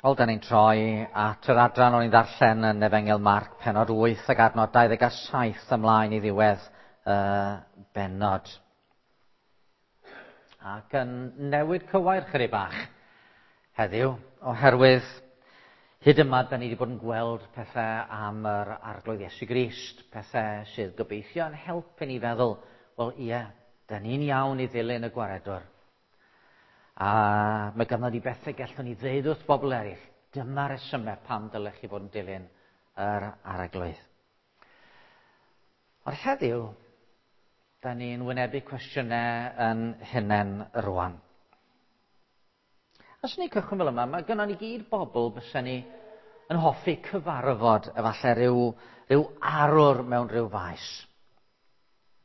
Wel, da ni'n troi at yr adran o'n i'n ddarllen yn Efengyl Marc, pennod 8 ac adnod 27 ymlaen i ddiwedd y bennod. Ac yn newid cywair chydig bach heddiw, oherwydd hyd yma da ni wedi bod yn gweld pethau am yr Arglwydd Iesu Grist, pethau sydd gobeithio yn helpu ni feddwl, wel ie, da ni'n iawn i ddilyn y gwaredwr. A mae ganddo ni bethau gallwn ni ddeud wrth bobl eraill. Dyma resymau pam dylech chi fod yn dilyn yr Arglwydd. Ond heddiw, da ni'n wynebu cwestiynau yn hunain rwan. Os ni'n cychwyn fel yma, mae gynnon ni gyd bobl bysa ni yn hoffi cyfarfod efallai rhyw arwr mewn rhyw faes.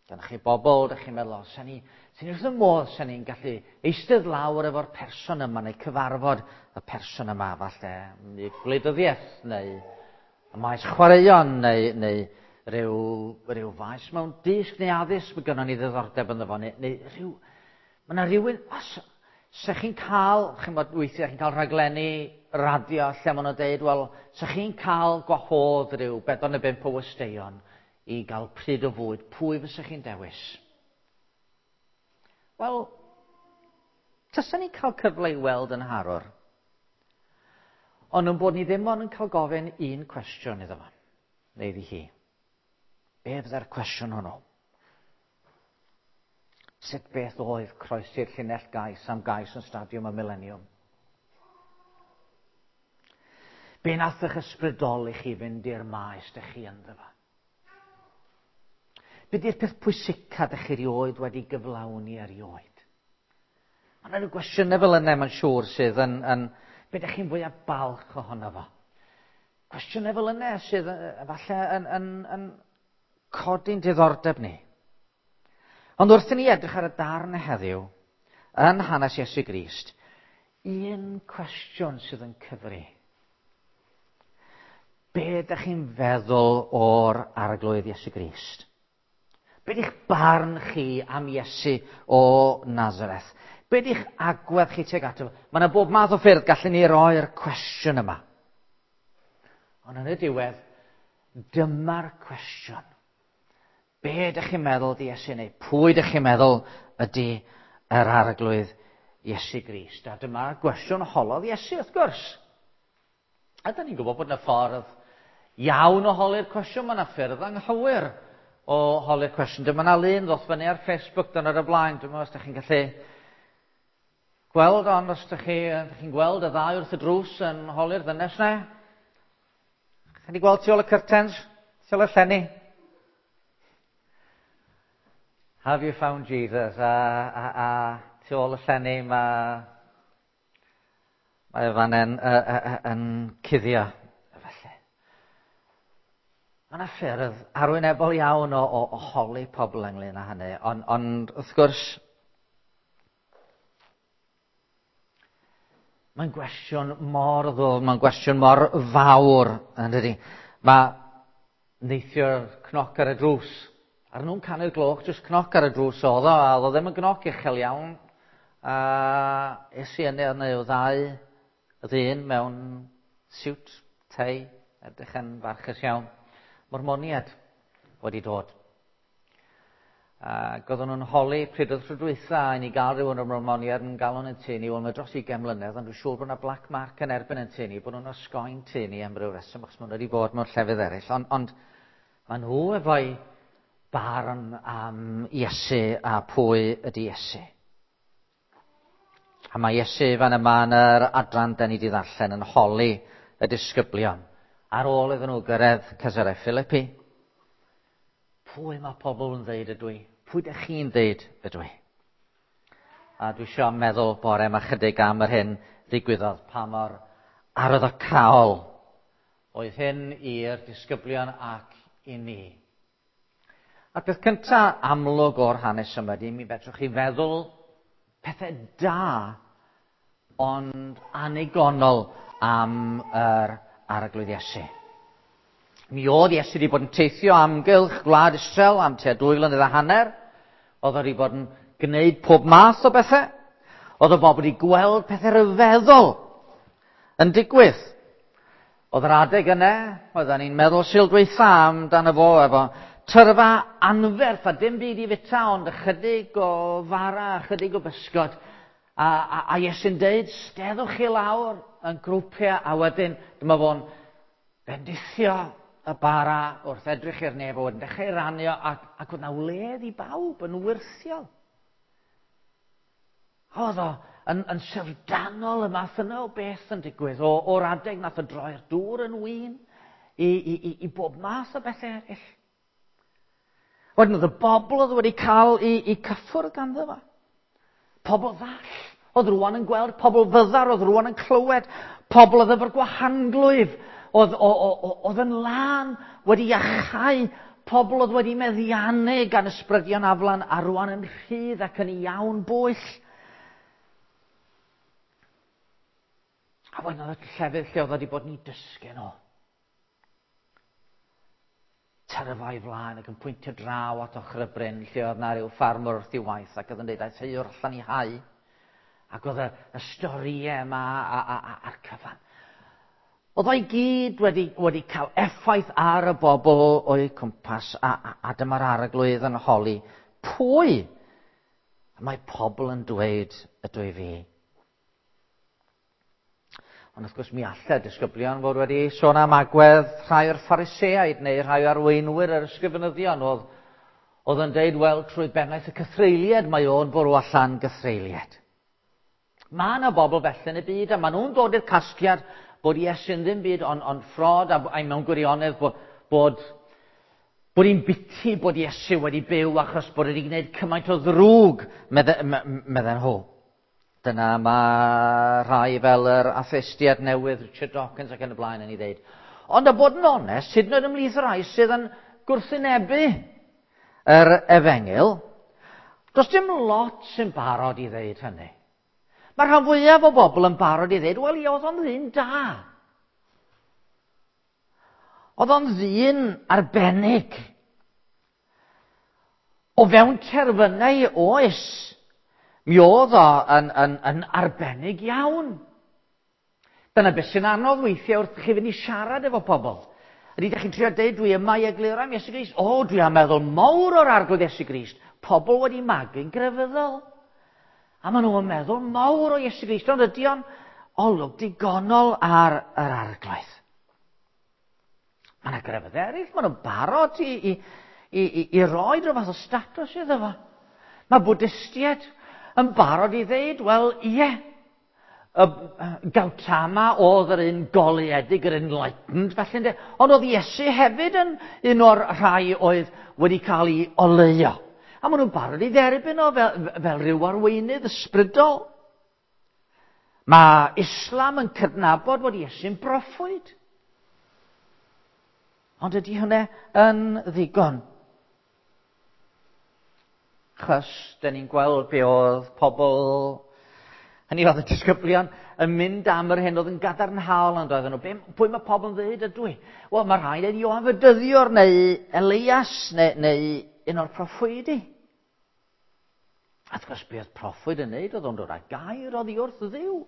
Dyna chi bobl, dych chi'n meddwl, o, sa'n ni, sa'n ni wrth y modd, sa'n ni'n gallu eistedd lawr efo'r person yma neu cyfarfod y person yma, falle neu gwleidyddiaeth neu y maes chwaraeon neu rhyw faes mewn dysg neu addysg, mae gynnon ni ddiddordeb ynddo fo, neu rhyw... Mae yna rhywun, os se chi'n cael, chi'n bod, weithiau chi'n cael rhaglenni radio lle maen nhw'n deud, wel, se chi'n cael gwahodd rhyw 4 neu 5 o westeion i gael pryd o fwyd, pwy fysa chi'n dewis? Wel, tasen ni'n cael cyfle i weld yn harwr, ond yn bod ni ddim ond yn cael gofyn un cwestiwn iddo fo, neu iddi hi. Be fydde'r cwestiwn hwnnw? Sut beth oedd croesi'r llinell gais am gais yn Stadiwm y Mileniwm? Be nath eich ysbrydoli chi fynd i'r maes dych chi ynddo fo? Be di'r peth pwysica dych chi erioed wedi gyflawni erioed? Mae yna rhyw gwestiynau fel yna, mae'n siŵr, sydd yn be dych chi'n fwyaf balch ohono fo? Cwestiynau fel yna sydd efallai yn codi'n diddordeb ni. Ond wrth i ni edrych ar y darn heddiw, yn hanes Iesu Grist, un cwestiwn sydd yn cyfri. Be ydych chi'n feddwl o'r Arglwydd Iesu Grist? Be ydych barn chi am Iesu o Nazareth? Be ydych agwedd chi tuag ato fo? Mae yna bob math o ffyrdd gallwn ni roi'r cwestiwn yma. Ond yn y diwedd, dyma'r cwestiwn. Be ydych chi'n meddwl ydy Iesu, neu pwy ydych chi'n meddwl ydy yr Arglwydd Iesu Grist? A dyma'r gwestiwn holodd Iesu, wrth gwrs. A da ni'n gwybod bod yna ffordd iawn o holi'r cwestiwn, mae yna ffyrdd anghywir o holi'r cwestiwn. Dyma yna lun ddoth fyny ar Facebook dan ar y blaen, dwi'n meddwl os ydych chi'n gallu gweld, ond os ydych chi'n gweld y ddau wrth y drws yn holi'r ddynes na. Chi wedi gweld tu ôl y curtains, tu ôl y llenni? Have you found Jesus? A tu ôl y llenni mae fan yn cuddio. Felly. Mae yna ffyrdd arwynebol iawn o holi pobl ynglyn â hynny, ond wrth gwrs, mae'n gwestiwn mor ddwfn, mae'n gwestiwn mor fawr, yn dydi? Mae neithiwr cnoc ar y drws. Ar nhw'n canu'r gloch, jyst cnoc ar y drws oedd o, a oedd o ddim yn gnoc uchel iawn. A es i yna, oedd yna ddau ddyn mewn siwt, tei, edrych yn farchus iawn. Mormoniad wedi dod. Ac oedden nhw'n holi pryd oedd tro dwytha i ni gael rhywun o'r Mormoniad yn galw yn tŷ ni, wel mae dros 20 mlynedd, ond dwi'n siŵr bod yna black mark yn erbyn yn tŷ ni, bod nhw'n osgoi'n tŷ ni am ryw reswm, achos maen nhw wedi bod mewn llefydd eraill. Ond maen nhw efo'i barn am Iesu a pwy ydy Iesu. A mae Iesu fan yma yn yr adran da ni wedi ddarllen yn holi y disgyblion. Ar ôl iddyn nhw gyrraedd Cesarea Philippi, pwy mae pobl yn ddeud ydw i? Pwy ydych chi'n ddeud ydw i? A dwi isio meddwl bore yma chydig am yr hyn ddigwyddodd, pa mor arwyddocaol oedd hyn i'r disgyblion ac i ni. A'r peth cynta amlwg o'r hanes yma ydy, mi fedrwch chi feddwl pethau da, ond anigonol am yr Arglwydd Iesu. Mi oedd Iesu wedi bod yn teithio amgylch gwlad Israel am tua 2 flynedd a hanner. Oedd wedi bod yn gwneud pob math o bethau. Oedd y bobl wedi gweld pethau rhyfeddol yn digwydd. Oedd yr adeg yna, oedden ni'n meddwl Sul dwytha amdano fo efo tyrfa anferth a dim byd i fita ond ychydig o fara, ychydig o bysgod. A Iesu'n deud, steddwch chi lawr yn grwpiau, a wedyn dyma fo'n bendithio y bara wrth edrych i'r nef, a wedyn dechrau rannu o, ac oedd 'na wledd i bawb yn wyrthiol. Oedd o yn syfrdanol y math yna o beth yn digwydd, o'r adeg nath o droi'r dŵr yn win, i bob math o bethau eraill. Wedyn oedd y bobl oedd wedi cael i cyffwrdd ganddo fo. Pobl ddall oedd rwan yn gweld, pobl fyddar oedd rwan yn clywed, pobl oedd efo'r gwahanglwyf, oedd yn lân wedi iachau, pobl oedd wedi meddiannu gan ysbrydion aflan a rwan yn rhydd ac yn iawn bwyll. A wedyn oedd y llefydd lle oedd wedi bod yn ei dysgu nhw. Tyrfa i flaen ac yn pwyntio draw at ochr y bryn lle oedd na ryw ffarmwr wrth ei waith ac oedd yn dweud aeth heuwr allan i hau. Ac oedd y storïau yma a'r cyfan. Oedd o'i gyd wedi cael effaith ar y bobl o'u cwmpas a dyma'r arglwydd yn holi. Pwy? Mae pobl yn dweud ydw i fi. Ond wrth gwrs mi allai disgyblion fod wedi sôn am agwedd rhai o'r Phariseaid neu rhai o'r arweinwyr yr ysgrifenyddion oedd yn deud, wel, trwy bennaeth y cythreuliad mae o'n bwrw allan gythreuliad. Mae yna bobl felly yn y byd a maen nhw'n dod i'r casgliad bod Iesu'n ddim byd ond ffrod a mewn gwirionedd bod hi'n biti bod Iesu wedi byw achos bod wedi gwneud cymaint o ddrwg, medden nhw. Dyna mae rhai fel yr atheistiad newydd, Richard Dawkins ac yn y blaen yn ei ddeud. Ond a bod yn onest, hyd yn oed ymhlith y rhai sydd yn gwrthwynebu yr efengyl, does dim lot sy'n barod i ddeud hynny. Mae rhan fwyaf o bobl yn barod i ddeud, wel, oedd o'n ddyn da. Oedd o'n ddyn arbennig. O fewn terfynau oes, mi oedd o yn arbennig iawn. Dyna beth sy'n anodd weithiau wrth chi fynd i siarad efo pobl. Ydy, ydych chi'n trio deud, dwi yma i egluro am Iesu Grist. O, dwi am meddwl mawr o'r arglwydd Iesu Grist. Pobl wedi magu'n grefyddol. A maen nhw'n meddwl mawr o Iesu Grist, ond ydy o'n olwg digonol ar yr arglwydd. Mae yna grefydd eraill, maen nhw'n barod i roi rhyw fath o statws iddo fo. Mae Bwdistiaid yn barod i ddeud, wel, ie, Gautama oedd yr un goleuedig, yr enlightened, felly ynde. Ond oedd Iesu hefyd yn un o'r rhai oedd wedi cael ei oleuo. A maen nhw'n barod i dderbyn o fel rhyw arweinydd ysbrydol. Mae Islam yn cydnabod bod Iesu'n broffwyd. Ond ydy hynny yn ddigon? Chos, dyn ni'n gweld be oedd pobl, hynny oedd y disgyblion, yn mynd am yr hyn oedd yn gadarnhaol ond oedden nhw. Pwy mae pobl yn dweud ydw i? Wel, mae rhai yn Ioan Fedyddiwr neu Elias neu un o'r proffwydi. A wrth gwrs, be oedd proffwyd yn neud oedd o'n dod â gair oddi wrth Dduw.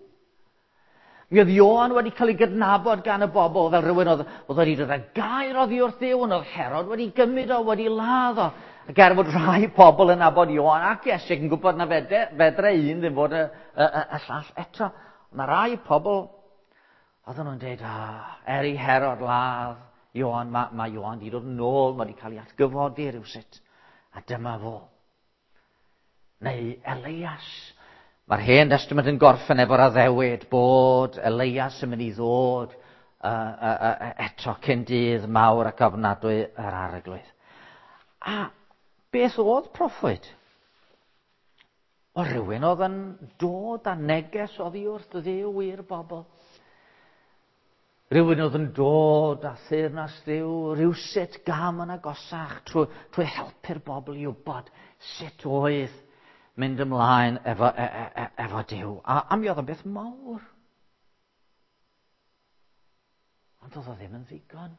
Mi oedd Ioan wedi cael ei gydnabod gan y bobl fel rhywun oedd wedi dod â gair oddi wrth Dduw, ond oedd Herod wedi gymryd o, wedi ladd o. Ac er fod rhai pobl yn nabod Ioan ac Iesu yn gwybod na fedre un ddim fod y llall eto. Mae rhai pobl, oedden nhw'n dweud, er i Herod ladd Ioan, mae Ioan wedi dod yn ôl, mae wedi cael ei atgyfodi rhywsut. A dyma fo. Neu Elias. Mae'r Hen Testament yn gorffen efo'r addewid bod Elias yn mynd i ddod eto cyn dydd mawr ac ofnadwy yr arglwydd. A beth oedd proffwyd? O rhywun oedd yn dod â neges oddi wrth Dduw i'r bobl. Rhywun oedd yn dod â theyrnas Dduw rhywsut gam yn agosach trwy helpu'r bobl i wybod sut oedd mynd ymlaen efo Duw. A mi oedd o'n beth mawr. Ond oedd o ddim yn ddigon.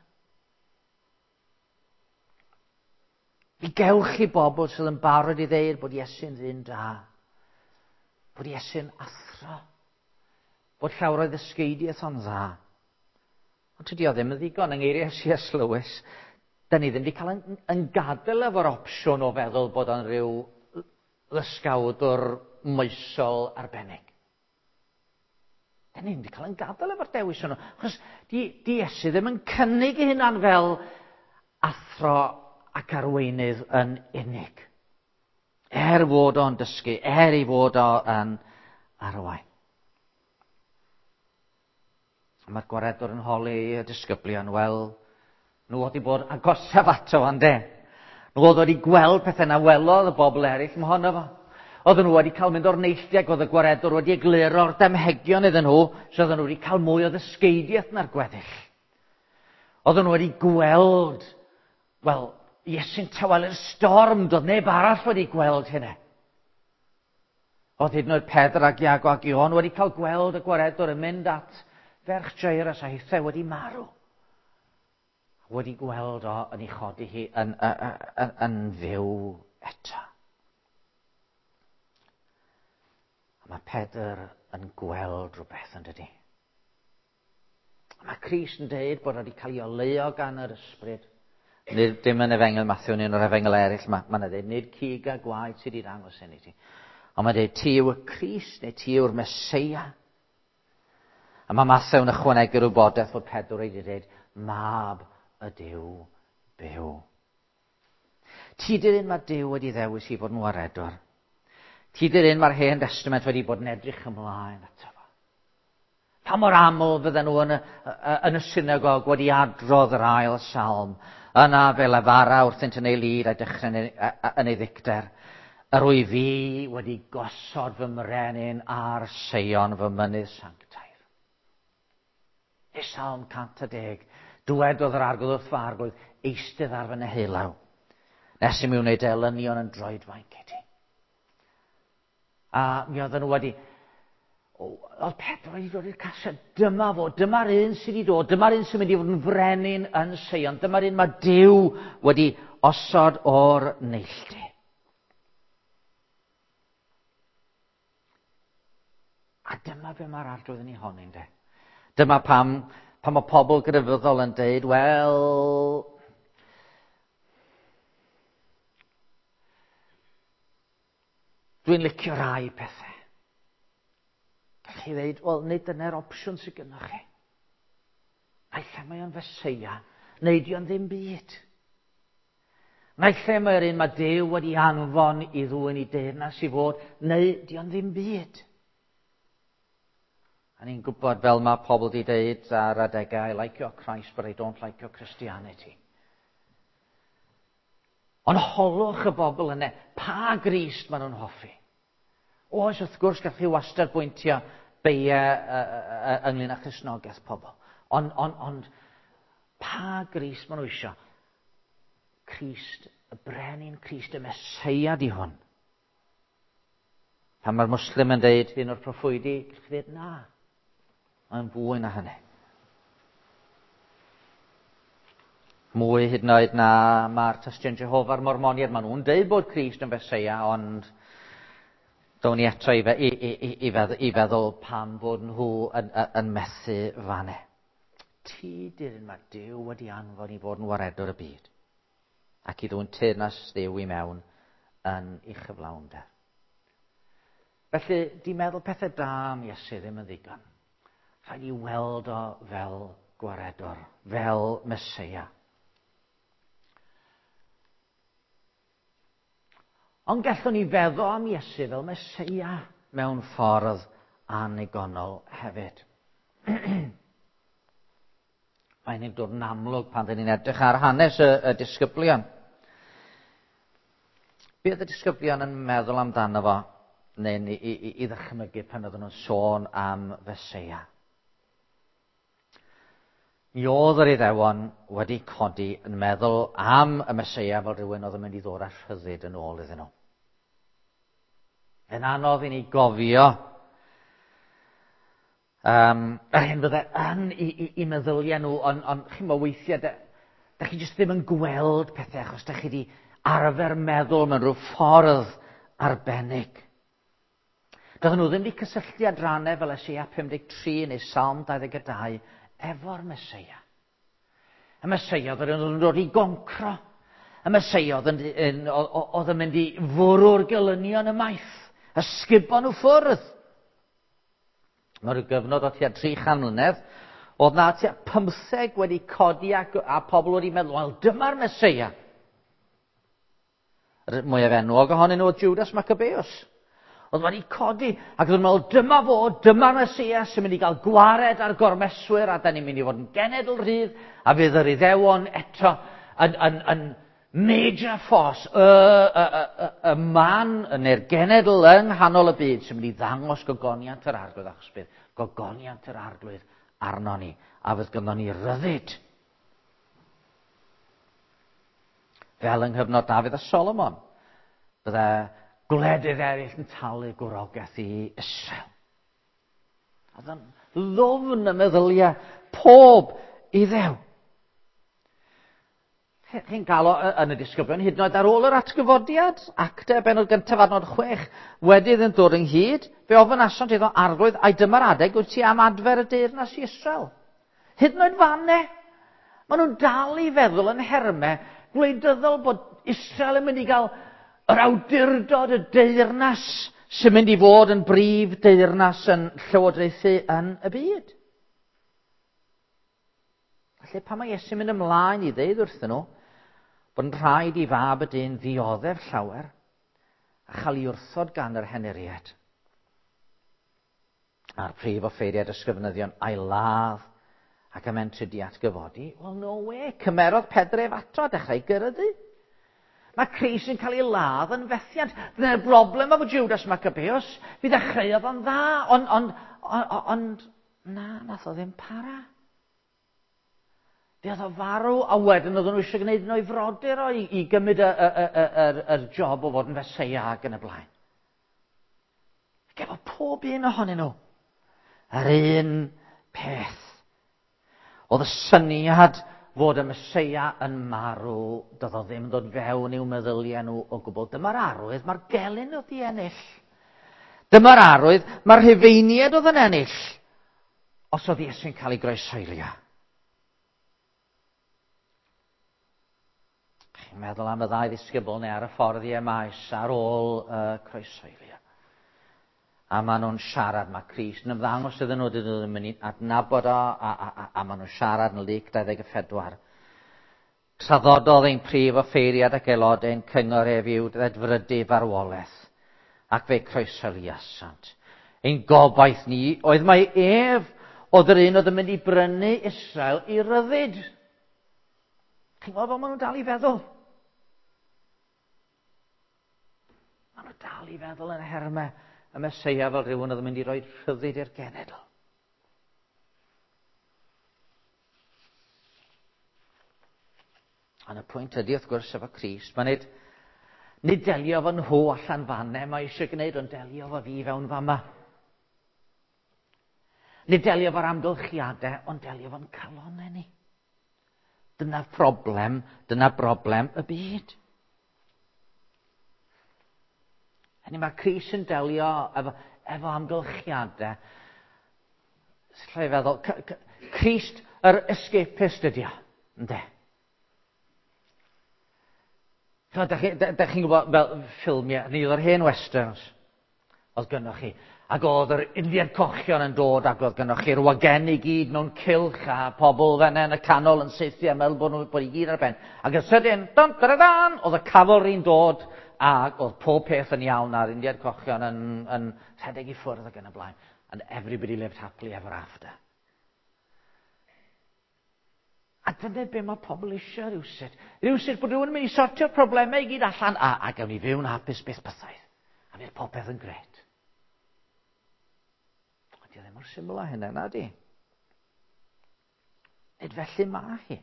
Mi gewch chi bobl sydd yn barod i ddeud bod Iesu'n ddyn da, bod Iesu'n athro, Bod llawer o'i ddysgeidiaeth o'n dda. Ond tydi o ddim yn ddigon yng ngeiriau C.S. Lewis. Da ni ddim wedi cael yn, yn gadael efo'r opsiwn o feddwl bod o'n rhyw ddysgawdwr moesol arbennig. Da ni ddim wedi cael yn gadael efo'r dewis hwnnw. Achos di, di Iesu ddim yn cynnig ei hunan fel athro ac arweinydd yn unig. Er fod o'n dysgu, er ei fod o'n arwain. Mae'r gwaredwr yn holi y disgyblion, wel, nhw wedi bod agosaf ato fan de. Nhw oedd wedi gweld pethau na welodd y bobl eraill mohono fo. Oedden nhw wedi cael mynd o'r neilltu ac oedd y gwaredwr wedi egluro'r damhegion iddyn nhw, so oedden nhw wedi cael mwy o ddysgeidiaeth na'r gweddill. Oedden nhw wedi gweld, wel, Iesu'n tawelu'r storm, doedd neb arall wedi gweld hynny. Oedd hyd yn oed Pedr ac Iago ac Ion wedi cael gweld y gwaredwr yn mynd at ferch Jairus a hithau wedi marw. Wedi gweld o yn ei chodi hi yn, yn, yn, yn fyw eto. A mae Pedr yn gweld rhywbeth yn dydi. A mae Crist yn dweud bod wedi cael ei oleuo gan yr ysbryd. Nid dim yn efengyl Matthew, nid yn yr efengyl eraill, mae yna dweud, nid cig a gwaed sydd wedi dangos hyn i ti. Ond mae'n dweud, ti yw y Crist, neu ti yw'r Meseia. A mae Mathew yn ychwanegu'r wybodaeth fod Pedr wedi dweud, mab y Duw byw. Ti di'r un mae Duw wedi ddewis i fod yn waredwr. Ti di'r un mae'r Hen Testament wedi bod yn edrych ymlaen ato fo. Pa mor aml fydden nhw yn y, yn y synagog wedi adrodd yr ail salm. Yna fe lefara wrthynt yn ei lid a'i dechrau yn ei, yn ei ddicter. Yr wyf fi wedi gosod fy mrenin ar Seion fy mynydd sanctaidd. Neu Salm 110. Dywedodd yr arglwydd wrth fy arglwydd, eistedd ar fy neheulaw, nes i mi wneud elynion yn droedfainc i ti. A mi oedden nhw wedi... Oedd Pedro wedi dod i'r casgliad, dyma fo, dyma'r un sydd wedi dod, dyma'r un sy'n mynd i fod yn frenin yn Seion, dyma'r un mae Duw wedi osod o'r neilltu. A dyma be mae'r arglwydd yn ei honni, ynde? Dyma pam, pam mae pobl grefyddol yn deud, wel, dwi'n licio rai pethau. Gallwch chi ddeud, wel, nid dyna'r opsiwn sydd gennych chi. Naill ai mae o'n Feseia, neu di o'n ddim byd. Naill ai mae'r un mae Duw wedi anfon i ddwyn i deyrnas i fod, neu di o'n ddim byd. A ni'n gwybod fel mae pobl wedi deud ar adegau, I like your Christ, but I don't like your Christianity. Ond holwch y bobl yna, pa Grist maen nhw'n hoffi? Oes, wrth gwrs, gallwch chi wastad bwyntio beiau ynglyn â Christnogaeth pobl. Ond, on, ond, pa Grist maen nhw eisiau? Crist, y brenin Crist, y Meseia di hwn. Pan mae'r Muslim yn deud un o'r proffwydi, gallwch chi ddeud na. Mae'n fwy na hynny. Mwy hyd yn oed na mae'r Tystion Jehofa'r Mormoniaid. Maen nhw'n deud bod Crist yn Feseia, ond down ni eto i, i, i, i, feddwl, i feddwl pam bod nhw yn, yn methu fanne. Ti di'r un mae Duw wedi anfon i fod yn waredwr y byd ac i ddwyn teyrnas Dduw i mewn yn ei chyflawnder. Felly, di meddwl pethau da am Iesu ddim yn ddigon. Rhaid i weld o fel gwaredwr, fel Meseia. Ond gallwn ni feddwl am Iesu fel Meseia mewn ffordd annigonol hefyd. Mae'n ein dod yn amlwg pan dyn ni'n edrych ar hanes y, y disgyblion. Be oedd y disgyblion yn meddwl amdano fo, neu i, i, i ddychmygu pan oedden nhw'n sôn am Feseia? Mi oedd yr Iddewon wedi codi yn meddwl am y Meseia fel rhywun oedd yn mynd i ddod â rhyddid yn ôl iddyn nhw. Yn anodd i ni gofio um, yr hyn fydde yn i, i, i meddyliau nhw, ond on, chi'n meddwl weithiau, da, da chi jyst ddim yn gweld pethau achos da chi wedi arfer meddwl mewn rhyw ffordd arbennig. Doedden nhw ddim wedi cysylltu adrannau fel Eseia 53 neu Salm 22 efo'r Meseia. Y Meseia oedd yn dod i goncro. Y Meseia oedd yn, yn, oedd yn mynd i fwrw'r gelynion ymaith. Ysgubo nhw ffwrdd. Mewn rhyw gyfnod o tua 300 mlynedd, oedd na tua 15 wedi codi a, a pobl wedi meddwl, wel, dyma'r Meseia. Yr mwyaf enwog ohonyn nhw oedd Judas Maccabeus. Oedd wedi codi ac oedd yn meddwl, dyma fo, dyma'r Meseia sy'n mynd i gael gwared ar gormeswyr a da ni'n mynd i fod yn genedl rhydd a fydd yr Iddewon eto yn, yn, yn major force, y, y, y, y, y man neu'r genedl yng nghanol y byd sy'n mynd i ddangos gogoniant yr arglwydd achos bydd gogoniant yr arglwydd arno ni a fydd gynnon ni ryddid. Fel yng nghyfnod Dafydd a Solomon, bydde gwledydd eraill yn talu gwrogaeth i Israel. Oedd yn ddwfn y meddyliau pob iddew. Chi'n cael o yn y disgyblion hyd yn oed ar ôl yr atgyfodiad, acte benod gyntaf adnod 6, wedi iddynt ddod ynghyd, fe ofynasant iddo arglwydd, ai dyma'r adeg wyt ti am adfer y deyrnas i Israel? Hyd yn oed fanne, maen nhw'n dal i feddwl yn hermau gwleidyddol bod Israel yn mynd i gael yr awdurdod, y deyrnas sy'n mynd i fod yn brif deyrnas yn llywodraethu yn y byd. Felly pan mae Iesu'n mynd ymlaen i ddeud wrthyn nhw bod yn rhaid i fab y dyn ddioddef llawer a chael ei wrthod gan yr henuriad a'r prif offeiriad ysgrifenyddion a'i ladd ac am entrydu atgyfodi, wel no way, cymerodd Pedr ef ato a dechrau gyryddu. Mae Christ yn cael ei ladd yn fethiant. Dyna'r broblem efo Judas Maccabeus. Fi ddechreuodd o'n dda, ond, ond, ond, ond na, nath o ddim para. Fe oedd o farw, a wedyn oedden nhw eisiau gwneud un o'i frodyr o i, i gymryd y, y, y, y, y, y job o fod yn feseia ac yn y blaen. Ac efo pob un ohonyn nhw, yr un peth. Oedd y syniad fod y Meseia yn marw, doedd o ddim yn dod fewn i'w meddyliau nhw o gwbl. Dyma'r arwydd, mae'r gelyn oedd i ennill. Dyma'r arwydd, mae'r Rhufeiniaid oedd yn ennill. Os oedd Iesu'n cael ei groeshoelio. Chi'n meddwl am y ddau ddisgybl neu ar y ffordd i Emaus ar ôl y croeshoelio. A maen nhw'n siarad, mae Crist yn ymddangos iddyn nhw, dydyn nhw ddim yn adnabod o, a, a, a, a maen nhw'n siarad yn Luc 24. Traddododd ein prif offeiriad ac aelodau ein cyngor ef i'w ddedfrydu farwolaeth, ac fe'i croeshoeliasant. Ein gobaith ni oedd mai ef oedd yr un oedd yn mynd i brynu Israel i ryddid. Chi'n gweld fel maen nhw'n dal i feddwl? Maen nhw dal i feddwl yn hermau y Meseia fel rhywun oedd yn mynd i roi rhyddid i'r genedl. Ond y pwynt ydy, wrth gwrs, efo Crist, mae nid, nid delio efo nhw allan fanne, mae eisiau gwneud, ond delio efo fi fewn fama. Nid delio efo'r amgylchiadau, ond delio efo'n calonau ni. Dyna problem, dyna broblem y byd. Hynny mae Crist yn delio efo, efo amgylchiadau. Lle i feddwl, Crist yr escapist ydi o, yndê? Da chi'n da chi gwybod fel ffilmiau, ni oedd yr hen westerns, oedd gynnoch chi. Ac oedd yr Indian cochion yn dod ac oedd gynnoch chi'r wagenni i gyd mewn cylch a pobl fenna yn y canol yn saethu a meddwl bod nhw bod i gyd ar ben. Ac yn sydyn, dan, dan, dan, oedd y cavalry'n dod ac oedd pob peth yn iawn a'r Indian cochion yn, yn rhedeg i ffwrdd ac yn y blaen. And everybody lived happily ever after. A dyna be mae pobl eisiau rhywsut. Rhywsut bod rhywun yn mynd i sortio'r problemau i gyd allan a, a gawn ni fyw'n hapus beth bythaidd. A fydd popeth yn gret. Ond di ddim mor syml â hynna, na di? Nid felly mae hi.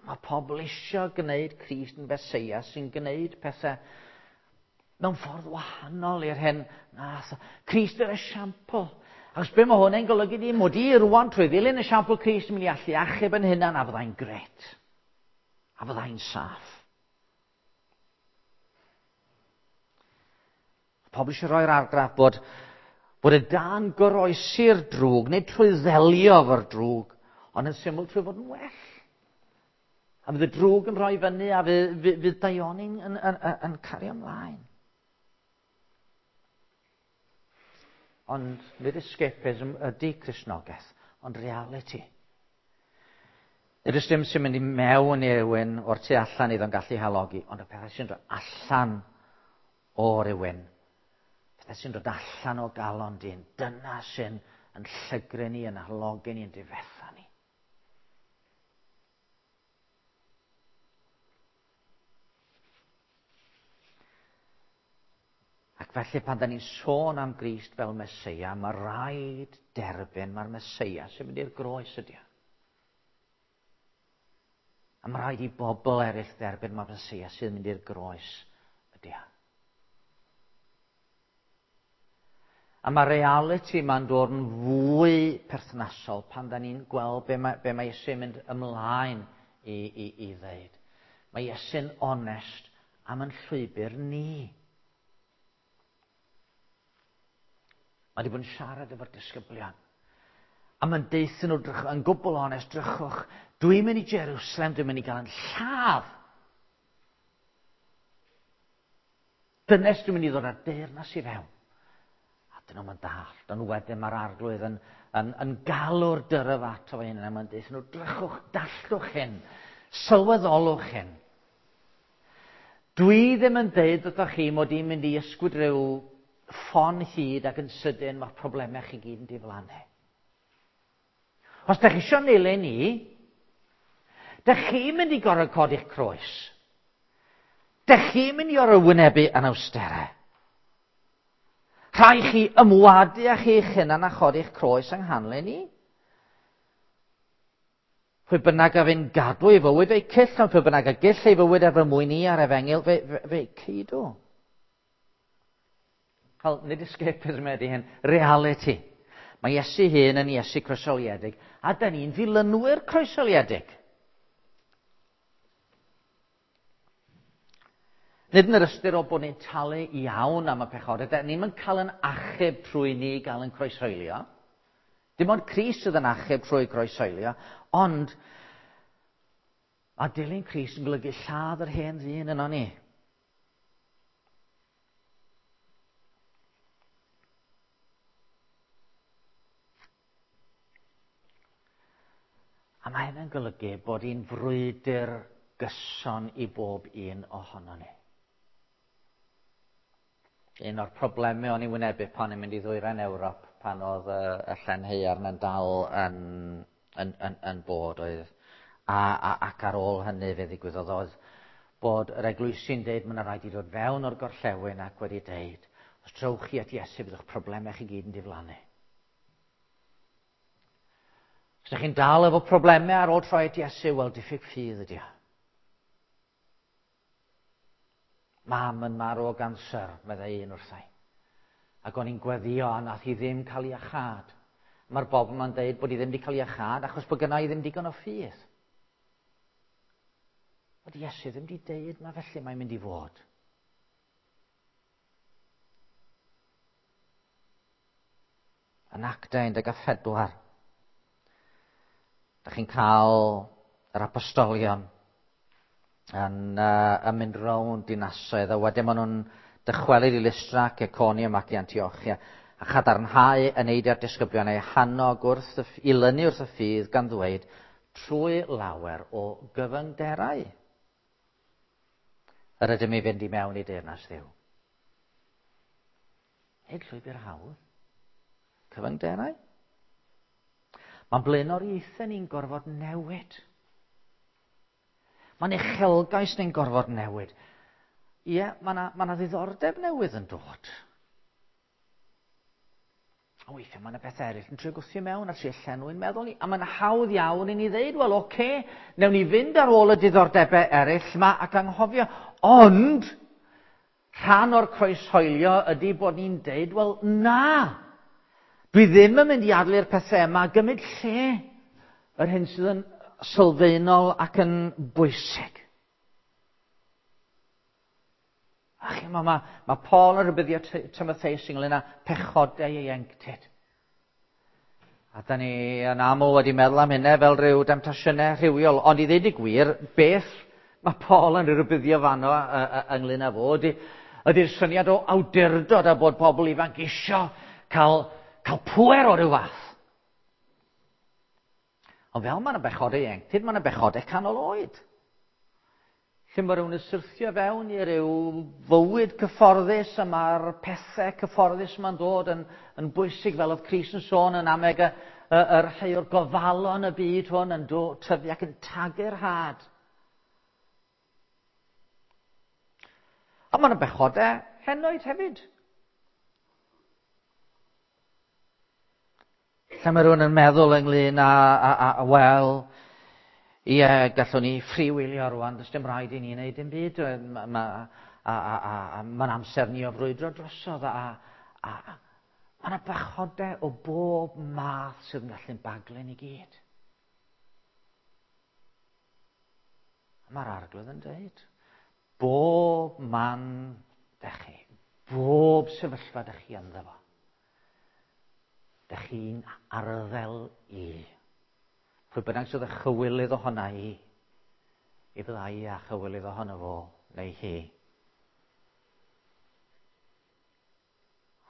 Mae pobl eisiau gwneud Crist yn Feseia sy'n gwneud pethau mewn ffordd wahanol i'r hyn nath. Crist yr esiampl. Achos be mae hwn yn golygu di, mod i rwan trwy ddilyn esiampl Crist yn mynd i allu achub yn hunan a fyddai'n gret. A fyddai'n saff. Pobl eisiau rhoi'r argraff bod, bod y dan goroesi'r drwg, neu trwy ddelio efo'r drwg, ond yn syml trwy fod yn well. A fydd y drwg yn rhoi fyny a fydd, fydd, fydd daioni'n yn, yn, yn, yn cario ymlaen. Ond nid escapism ydy Cristnogaeth, ond reality. Nid oes dim sy'n mynd i mewn i rywun o'r tu allan iddo'n gallu halogi, ond y pethau sy'n dod allan o rywun, pethau sy'n dod allan o galon dyn, dyna sy'n yn llygru ni, yn halogi ni, yn difetha ni. Ac felly pan da ni'n sôn am Grist fel Meseia, mae rhaid derbyn mae'r Meseia sy'n mynd i'r groes ydy o. A mae rhaid i bobl eraill dderbyn mae'r Meseia sy'n mynd i'r groes ydy o. A mae reality ma'n dod yn fwy perthnasol pan da ni'n gweld be mae, be mae Iesu'n mynd ymlaen i, i, i ddeud. Mae Iesu'n onest am yn llwybr ni. Mae wedi bod yn siarad efo'r disgyblion. A mae'n deuthyn nhw, drych, yn gwbl onest, drychwch, dwi'n mynd i Jerusalem, dwi'n mynd i gael yn lladd. Dynes dwi'n mynd i ddod â'r deyrnas i fewn. A dyn nhw'n dall. Dyn nhw wedyn mae'r arglwydd yn, yn, yn galw'r dyrf ato fe hyn. A mae'n deuthyn nhw, drychwch, dallwch hyn, sylweddolwch hyn. Dwi ddim yn deud wrthoch chi mod i'n mynd i ysgwyd rhyw ffon hyd ac yn sydyn mae'ch problemau chi gyd yn diflannu. Os da chi eisiau nilyn i, da chi'n mynd i gorfod codi'ch croes. Da chi'n mynd i orfod wynebu anawsterau. Rhaid chi ymwadu â chi'ch hunan a chodi'ch croes yng nghanlyn ni. Pwy bynnag a fyn gadw ei fywyd fe'i cyll, ond pwy bynnag a gyll ei fywyd er fy mwyn i a'r efengyl, fe, fe, fe ceidw. Wel, nid escapism ydy hyn, reality. Mae Iesu hun yn Iesu croesoliedig, a da ni'n ddilynwyr croesoliedig. Nid yn yr ystyr o bod ni'n talu iawn am y pechodau, da ni'n mynd cael yn achub trwy ni gael yn croeshoelio. Dim ond Crist sydd yn achub trwy groeshoelio, ond mae dilyn Crist yn golygu lladd yr hen ddyn yno ni. A mae hynny'n golygu bod hi'n frwydr gyson i bob un ohono ni. Un o'r problemau o'n i'n wynebu pan i'n mynd i ddwyrain Ewrop pan oedd y, y llen haearn yn dal yn, yn, yn, yn bod oedd a, a, ac ar ôl hynny fe ddigwyddodd oedd bod yr eglwysi'n deud mae yna rhaid i ddod fewn o'r gorllewin ac wedi deud os trowch chi at Iesu byddwch problemau chi gyd yn diflannu. Os ydych chi'n dal efo problemau ar ôl troi at Iesu, wel diffyg ffydd ydy o. Mam yn marw o ganser, meddai un wrthai. Ac o'n i'n gweddio a nath hi ddim cael ei achad. Mae'r bobl yma'n deud bod hi ddim wedi cael ei achad achos bod gynna i ddim digon o ffydd. Ond Iesu ddim wedi deud na felly mae'n mynd i fod. Yn Actau 14, da chi'n cael yr apostolion yn, uh, yn mynd rownd dinasoedd, a wedyn maen nhw'n dychwelyd i Lystra ac Iconium ac i Antiochia, a chadarnhau yn eidiau'r disgyblion eu hannog wrth y, i lynu wrth y ffydd gan ddweud trwy lawer o gyfyngderau yr ydym i fynd i mewn i deyrnas Dduw. Nid llwybr hawdd. Cyfyngderau. Mae'n blaenoriaethau ni'n gorfod newid. Mae'n uchelgais ni'n gorfod newid. Ie, mae yna ma ddiddordeb newydd yn dod. A weithiau mae yna bethau eraill yn trio gwthio mewn a trio llenwi'n meddwl ni. A mae'n hawdd iawn i ni ddeud, wel, oce, okay, newn ni fynd ar ôl y diddordebau eraill yma ac anghofio. Ond, rhan o'r croeshoelio ydy bod ni'n deud, wel, na! Dwi ddim yn mynd i adlu'r pethau yma gymryd lle yr hyn sydd yn sylfaenol ac yn bwysig. A chi, mae Paul yn rhybuddio Timotheus ynglyn â pechodau ieuenctid. A da ni yn aml wedi meddwl am hynna fel rhyw demtasiynau rhywiol. Ond i ddeud y gwir, beth mae Paul yn rhybuddio fanno ynglyn â fo ydy'r syniad o awdurdod a bod pobl ifanc isio cael pŵer o ryw fath. Ond fel mae yna bechodau ieuenctid, mae yna bechodau canol oed. Lle mae rhywun yn syrthio fewn i ryw fywyd cyfforddus a mae'r pethau cyfforddus yma'n dod yn bwysig, fel oedd Crist yn sôn yn ameg yr rhai o'r gofalon y byd hwn yn tyfu ac yn tagu'r had. A mae yna bechodau henoed hefyd. Lle mae rhywun yn meddwl ynglyn â wel, ie, gallwn ni freewheelio rwan, does dim rhaid i ni wneud dim byd, mae'n amser ni o frwydro drosodd, a mae yna bechodau o bob math sydd yn gallu'n baglu ni gyd. Mae'r Arglwydd yn dweud, bob man dych chi, bob sefyllfa dych chi ynddo fo, dych chi'n arddel i. Pwy bynnag sydd â chywilydd ohona i, i fydda i a chywilydd ohono fo neu hi.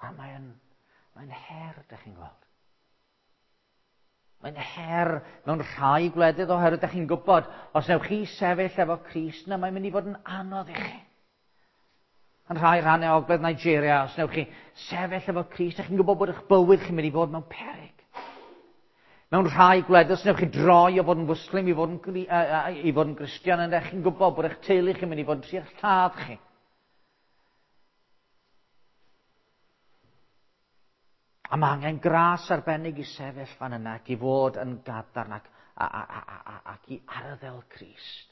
A mae'n her, dych chi'n gweld. Mae'n her mewn rhai gwledydd oherwydd dych chi'n gwybod, os newch chi sefyll efo Crist, na mae'n mynd i fod yn anodd i chi. Yn rhai rhannau ogledd Nigeria, os newch chi sefyll efo Crist, dych chi'n gwybod bod eich bywyd chi'n mynd i fod mewn peryg. Mewn rhai gwledydd, os newch chi droi o fod yn Fwslim i fod yn Gristion, yna chi'n gwybod bod eich teulu chi'n mynd i fod yn trio lladd chi. A mae angen gras arbennig i sefyll fan yna ac i fod yn gadarn ac i arddel Crist.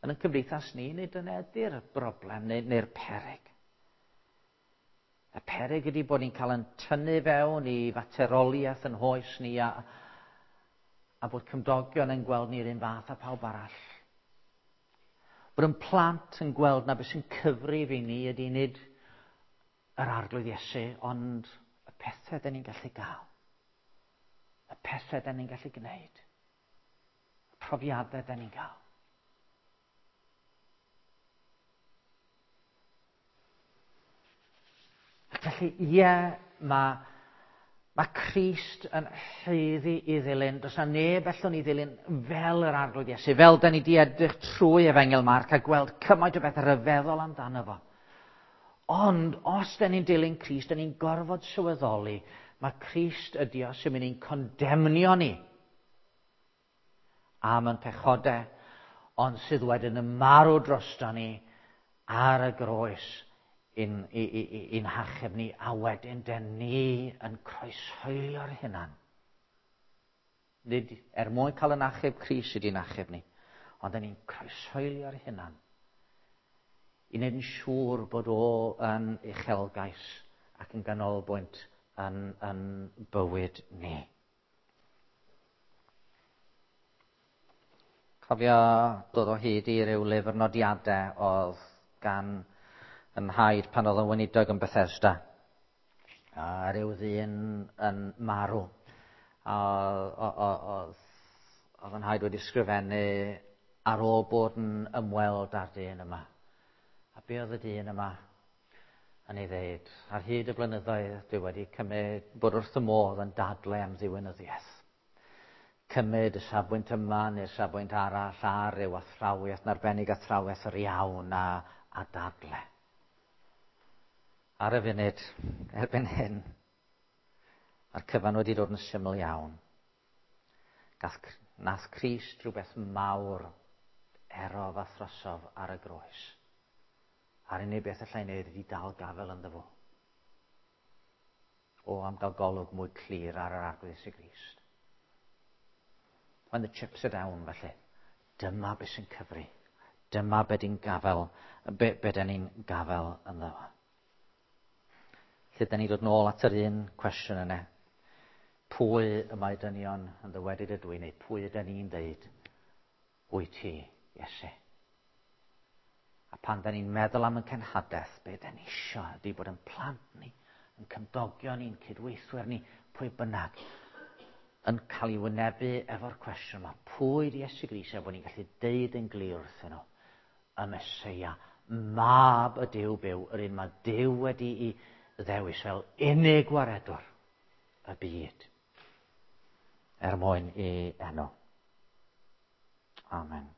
Yn y cymdeithas ni, nid dyna ydy'r broblem neu'r peryg. Y peryg ydy bod ni'n cael yn tynnu fewn i fateroliaeth yn hoes ni a bod cymdogion yn gweld ni'r un fath â pawb arall. Bod yn plant yn gweld na beth sy'n cyfrif i ni ydy nid yr Arglwydd Iesu, ond y pethau dyn ni'n gallu gael. Y pethau dyn ni'n gallu gwneud. Y profiadau dyn ni'n gael. Ac felly, ie, mae Crist yn haeddu i ddilyn. Does na neb allwn ni ddilyn fel yr Arglwydd Iesu, fel da ni di edrych trwy Efengyl Marc a gweld cymaint o bethau rhyfeddol amdano fo. Ond os da ni'n dilyn Crist, da ni'n gorfod sylweddoli, mae Crist ydi o sy'n mynd i'n condemnio ni am ein pechodau, ond sydd wedyn yn marw drosto ni ar y groes i'n hachub ni, a wedyn dyn ni yn croeshoelio'r hunan. Nid er mwyn cael yn achub Crist sydd i'n achub ni, ond dyn ni'n croeshoelio'r hunan i wneud yn siŵr bod o yn uchelgais ac yn ganolbwynt yn bywyd ni. Cofio dod o hyd i ryw lyfr nodiadau oedd gan yn nhaid pan oedd yn weinidog yn Bethesda. A ryw ddyn yn marw. A oedd yn nhaid wedi sgrifennu ar ôl bod yn ymweld â'r dyn yma. A be oedd y dyn yma yn ei ddeud? Ar hyd y blynyddoedd dwi wedi cymryd bod wrth y modd yn dadle am ddiwinyddiaeth. Cymryd y safbwynt yma neu'r safbwynt arall ar ryw athrawiaeth, yn arbennig athrawiaeth yr iawn a dadle. Ar y funud, erbyn hyn, mae'r cyfan wedi dod yn syml iawn. Nath Crist rhywbeth mawr erof a throsof ar y groes. A'r unig beth allai wneud ydy dal gafel ynddo fo. O, am gael golwg mwy clir ar yr Arglwydd Iesu Grist. When the chips are down, felly, dyma beth sy'n cyfri. Dyma be ni'n gafel, be dyn ni'n gafel ynddo fo. Lle dyn ni dod nôl at yr un cwestiwn yna. Pwy y mae dynion yn ddywedyd ydw i, neu pwy ydyn ni'n dweud wyt ti, Iesu? A pan da ni'n meddwl am y cenhadaeth, be da ni isio ydy bod yn plant ni, yn cymdogion ni'n cydweithwyr ni, pwy bynnag, yn cael ei wynebu efo'r cwestiwn yma, pwy di Iesu Grist, a bod ni'n gallu deud yn glir wrthyn nhw, y Meseia, mab y Duw byw, yr un mae Duw wedi'i ddewis fel unig waredwr y byd, er mwyn i enw. Amen.